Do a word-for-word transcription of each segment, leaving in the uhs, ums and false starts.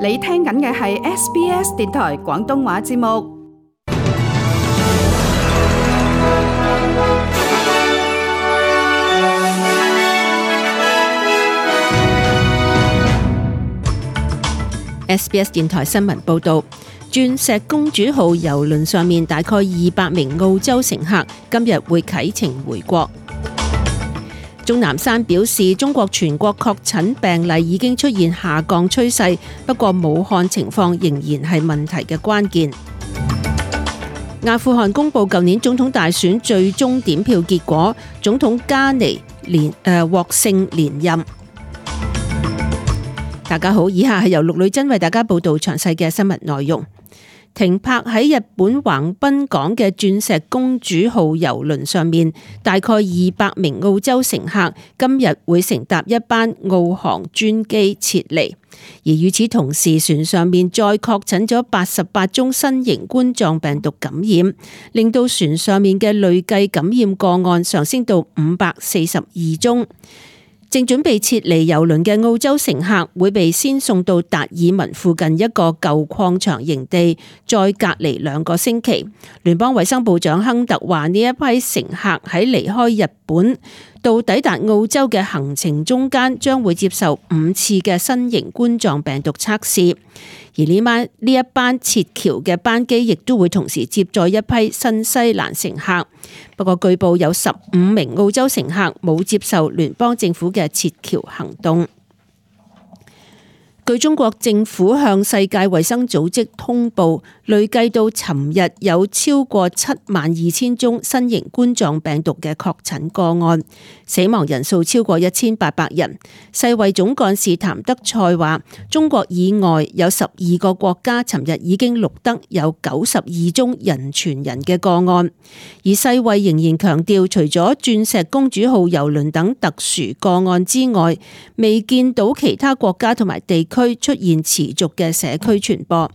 你聽緊嘅係 S B S 電台廣東話節目。S B S 電台新聞報道，鑽石公主號郵輪上面大概二百名澳洲乘客今日會啟程回國。鍾南山表示，中國全國確診病例已經出現下降趨勢，不過武漢情況仍然係問題嘅關鍵。阿富汗公布舊年總統大選最終點票結果，總統加尼連誒獲勝連任。大家好，以下係由陸女真為大家報道詳細嘅新聞內容。停泊喺日本橫濱港嘅鑽石公主號郵輪上面，大概二百名澳洲乘客今日會乘搭一班澳航專機撤離，而與此同時，船上面再確診咗八十八宗新型冠狀病毒感染，令到船上面嘅累計感染個案上升到五百四十二宗。正準備撤離郵輪嘅澳洲乘客會被先送到達爾文附近一個舊礦場營地，再隔離兩個星期。聯邦衛生部長亨特話：呢一批乘客喺離開日本到抵達澳洲嘅行程中間，將會接受五次嘅新型冠狀病毒測試。而呢班呢一班撤僑嘅班機亦都會同時接載一批新西蘭乘客。不過據報有十五名澳洲乘客冇接受聯邦政府嘅撤僑行動。據中國政府向世界衛生組織通報，累計到尋日有超過七萬二千宗新型冠狀病毒嘅確診個案，死亡人數超過一千八百人。世衛總幹事譚德塞話，中國以外有十二個國家尋日已經錄得有九十二宗人傳人嘅個案，而世衛仍然強調，除咗鑽石公主號郵輪等特殊個案之外，未見到其他國家同埋地區出現持續嘅社區傳播。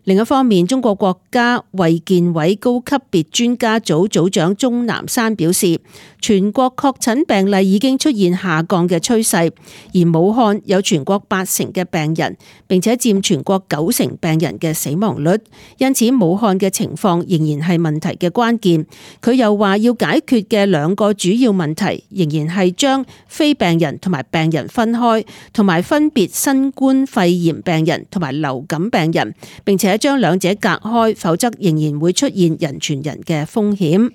另一方面，中國國家衛健委高級別專家組組長鍾南山表示，全國確診病例已經出現下降嘅趨勢，而武漢有全國八成嘅病人，並且佔全國九成病人嘅死亡率，因此武漢嘅情況仍然係問題嘅關鍵。佢又話要解決嘅兩個主要問題，仍然係將非病人同埋病人分開，同埋分別新冠肺炎病人同埋流感病人，並且將兩者隔開，否則仍然會出現人傳人嘅風險。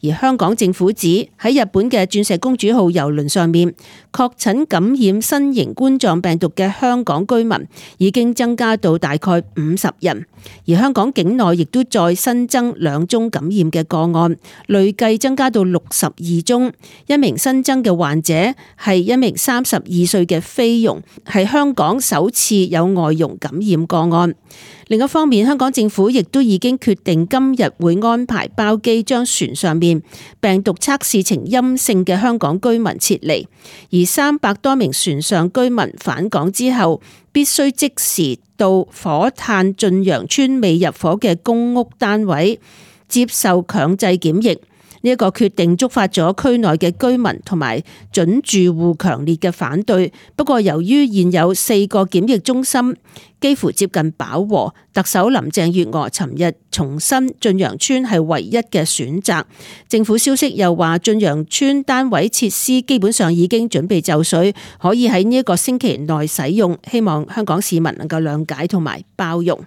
而香港政府指喺日本嘅鑽石公主號郵輪上面確診感染新型冠狀病毒嘅香港居民已經增加到大概五十人，而香港境內亦都再新增兩宗感染嘅個案，累計增加到六十二宗。一名新增嘅患者係一名三十二歲嘅菲傭，係香港首次有外傭感染個案。另一方面，香港政府亦都已經決定今日會安排包機將船上面病毒測試呈陰性嘅香港居民撤離，而三百多名船上居民返港之後，必須即時到火炭駿洋邨未入伙嘅公屋單位接受強制檢疫。呢一個決定觸發咗區內嘅居民同埋準住戶強烈嘅反對。不過由於現有四個檢疫中心幾乎接近飽和，特首林鄭月娥尋日重申駿洋邨係唯一嘅選擇。政府消息又話，駿洋邨單位設施基本上已經準備就緒，可以喺呢一個星期內使用。希望香港市民能夠諒解同埋包容。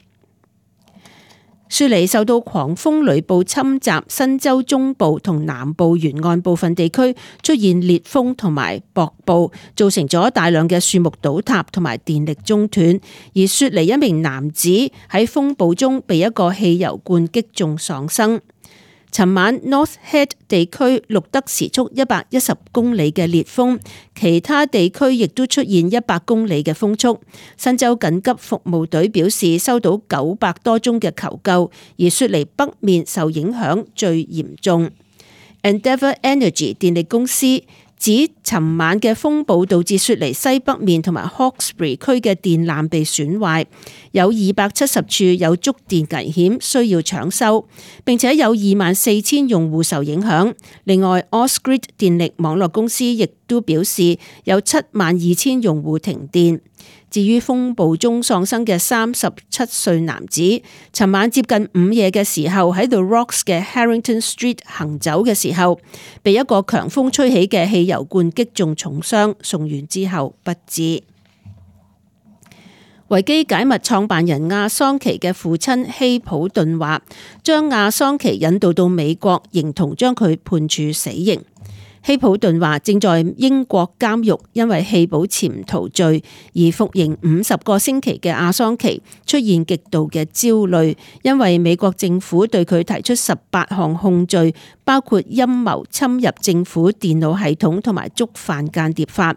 雪梨受到狂風雷暴侵襲，新州中部同南部沿岸部分地區出現烈風同埋薄暴，造成咗大量嘅樹木倒塌同埋電力中斷。而雪梨一名男子喺風暴中被一個汽油罐擊中喪生。尋晚 North Head 地區錄得時速一百一十公里嘅烈風，其他地區亦都出現一百公里嘅風速。新州緊急服務隊表示收到九百多宗嘅求救，而雪梨北面受影響最嚴重。Endeavour Energy 電力公司指尋晚嘅風暴導致雪梨西北面同埋 Hawkesbury 區嘅電纜被損壞，有二百七十處有觸電危險需要搶修，並且有二萬四千用戶受影響。另外 Ausgrid 電力網絡公司亦都表示有七萬二千用戶停電。至於風暴中喪生嘅三十七歲男子，尋晚接近午夜嘅時候喺 The Rocks 嘅 Harrington Street 行走嘅時候，被一個強風吹起嘅汽油罐擊中重傷，送院之後不治。維基解密創辦人亞桑奇嘅父親希普頓話，將亞桑奇引渡到美國，形同將佢判處死刑。希普頓話，正在英國監獄因為棄保潛逃罪而服刑五十個星期嘅亞桑奇出現極度嘅焦慮，因為美國政府對佢提出十八項控罪，包括陰謀侵入政府電腦系統同埋觸犯間諜法。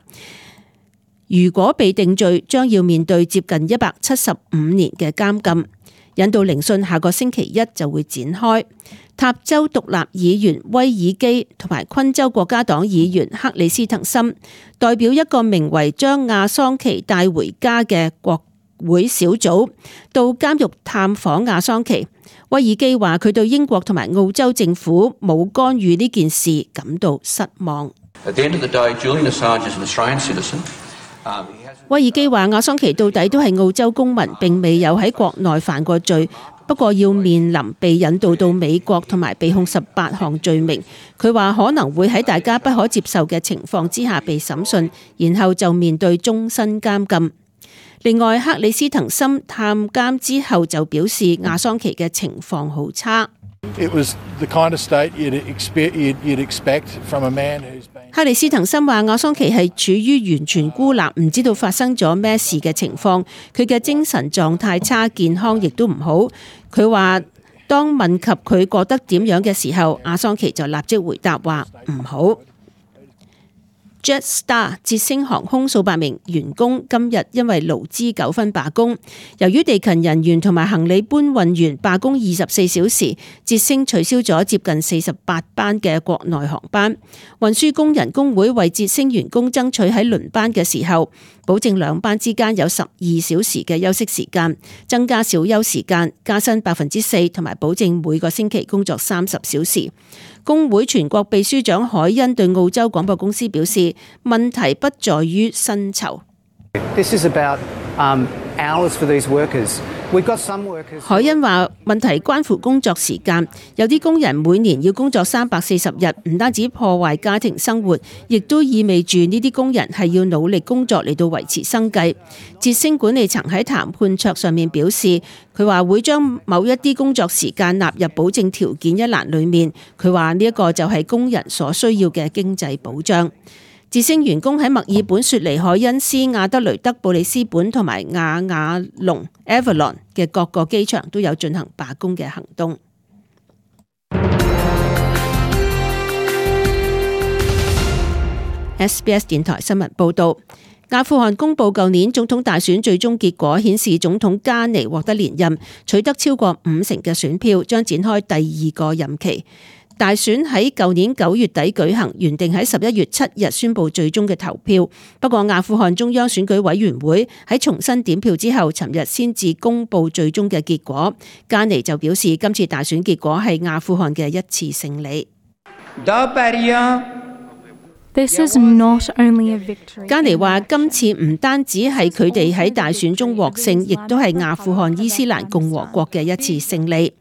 如果被定罪，將要面對接近一百七十五年嘅監禁。引渡聆訊下個星期一就會展開。塔州獨立議員威爾基同埋昆州國家黨議員克里斯滕森代表一個名為將亞桑奇帶回家嘅國會小組到監獄探訪亞桑奇。威爾基話佢對英國同埋澳洲政府冇干預呢件事感到失望。威爾基話亞桑奇到底都係澳洲公民，並未有喺國內犯過罪，不過要面臨被引渡到美國同埋被控十八項罪名。佢話可能會喺大家不可接受嘅情況之下被審訊，然後就面對終身監禁。另外，克里斯滕森探監之後就表示亞桑奇嘅情況好差。克里斯滕森話亞桑奇係處於完全孤立，唔知道發生咗咩事嘅情況，佢嘅精神狀態差，健康亦都唔好。佢話當問及佢覺得點樣嘅時候，亞桑奇就立即回答話唔好。Jetstar 捷星航空數百名員工今日因為勞資糾紛罷工，由於地勤人員同埋行李搬運員罷工二十四小時，捷星取消咗接近四十八班嘅國內航班。運輸工人工會為捷星員工爭取喺輪班嘅時候，保證兩班之間有十二小時嘅休息時間，增加小休時間，加薪百分之四，同埋保證每個星期工作三十小時。工會全國秘書長海恩對澳洲廣播公司表示，問題不在於薪酬。This is about, um, hours for these workers. We've got some workers. 海恩話問題關乎工作時間，有啲工人每年要工作三百四十日，唔單止破壞家庭生活，亦都意味住呢啲工人係要努力工作嚟到維持生計。捷星管理層喺談判桌上面表示，佢話會將某一啲工作時間納入保證條件一欄裡面。佢話呢一個就係工人所需要嘅經濟保障。捷星員工喺墨爾本、雪梨、海恩斯、亞德雷德、布里斯本同埋亞瓦隆 （Avalon） 嘅各個機場都有進行罷工嘅行動。S B S 電台新聞報導，阿富汗公布舊年總統大選最終結果，顯示總統加尼獲得連任，取得超過五成嘅選票，將展開第二個任期。大選喺舊年九月底舉行，原定喺十一月七日宣布最終嘅投票。不過阿富汗中央選舉委員會喺重新點票之後，尋日先至公布最終嘅結果。加尼就表示，今次大選結果係阿富汗嘅一次勝利。This is not only a victory. 加尼話，今次唔單止係佢哋喺大選中獲勝，亦都係阿富汗伊斯蘭共和國嘅一次勝利。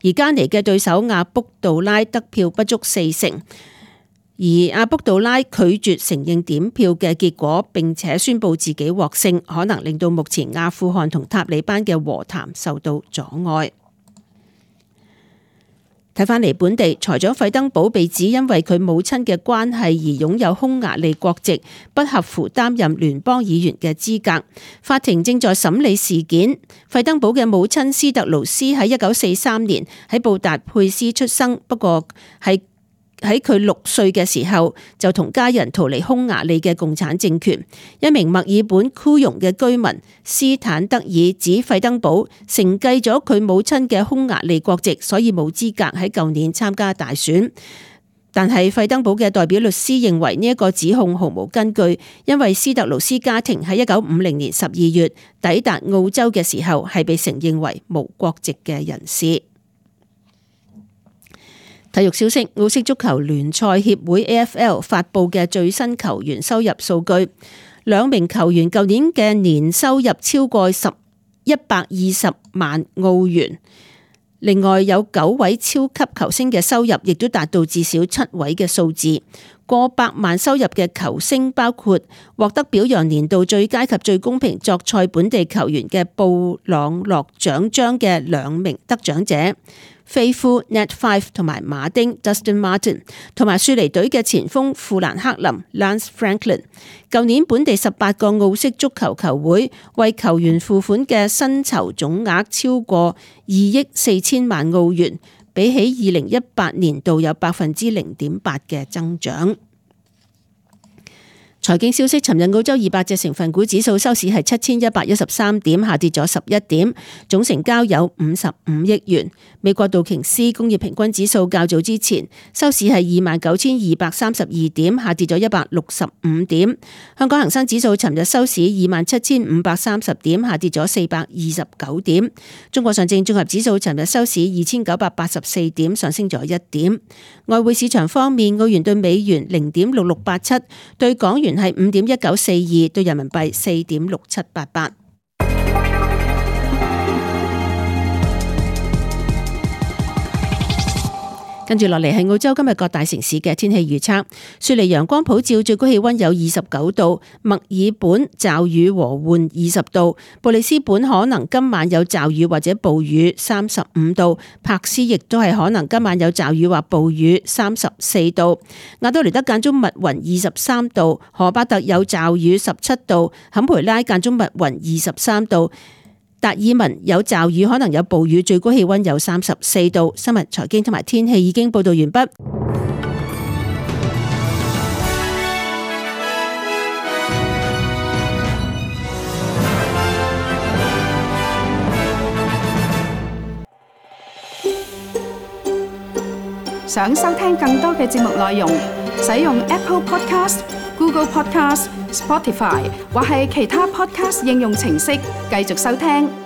而加尼嘅對手阿卜杜拉得票不足四成，而阿卜杜拉拒絕承認點票嘅結果，並且宣布自己獲勝，可能令到目前阿富汗同塔利班嘅和談受到阻礙。睇返嚟本地，財長費登堡被指因為佢母親嘅關係而擁有匈牙利國籍，不合乎擔任聯邦議員嘅資格。法庭正在審理事件。費登堡嘅母親斯特勞斯喺一九四三年喺布達佩斯出生，不過係喺佢六歲嘅時候就同家人逃離匈牙利嘅共產政權。一名墨爾本庫容嘅居民斯坦德爾指費登堡承繼咗佢母親嘅匈牙利國籍，所以冇資格喺舊年參加大選。但係費登堡嘅代表律師認為呢一個指控毫無根據，因為斯特勞斯家庭喺一九五零年十二月抵達澳洲嘅時候係被承認為無國籍嘅人士。體育消息，澳式足球聯賽協會 A F L 發布嘅最新球員收入數據，兩名球員舊年嘅年收入超過十一百二十萬澳元。另外有九位超級球星嘅收入亦都達到至少七位嘅數字。過百萬收入嘅球星包括獲得表揚年度最佳及最公平作賽本地球員嘅布朗諾獎章嘅兩名得獎者，飛夫 Nat Fyfe 同埋馬丁 Dustin Martin， 同埋雪梨隊嘅前鋒富蘭克林 Lance Franklin。舊年本地十八個澳式足球球會為球員付款嘅薪酬總額超過二億四千萬澳元，比起二零一八年度有百分之零點八嘅增長。財經消息，尋日澳洲二百隻成分股指數收市係七千一百一十三點，下跌咗十一點，總成交有五十五億元。美國道瓊斯工業平均指數較早之前收市係二萬九千二百三十二點，下跌咗一百六十五點。香港恒生指數尋日收市二萬七千五百三十點，下跌咗四百二十九點。中國上證綜合指數尋日收市二千九百八十四點，上升咗一點。外匯市場方面，澳元對美元零點六六八七，對港元係五點一九四二，對人民幣四點六七八八。跟住落嚟係澳洲今日各大城市嘅天氣預測。雪梨陽光普照，最高氣溫有二十九度；墨爾本驟雨和緩二十度；布里斯本可能今晚有驟雨或者暴雨三十五度；柏斯亦都係可能今晚有驟雨或暴雨三十四度；亞多尼德間中密雲二十三度；荷巴特有驟雨十七度；坎培拉間中密雲二十三度。達爾文有驟雨，可能有暴雨，最高氣溫有三十四度。新聞、財經同埋天氣已經報道完畢。想收聽更多嘅節目內容，使用 Apple Podcast、Google Podcast、Spotify 或係其他 Podcast 應用程式繼續收聽。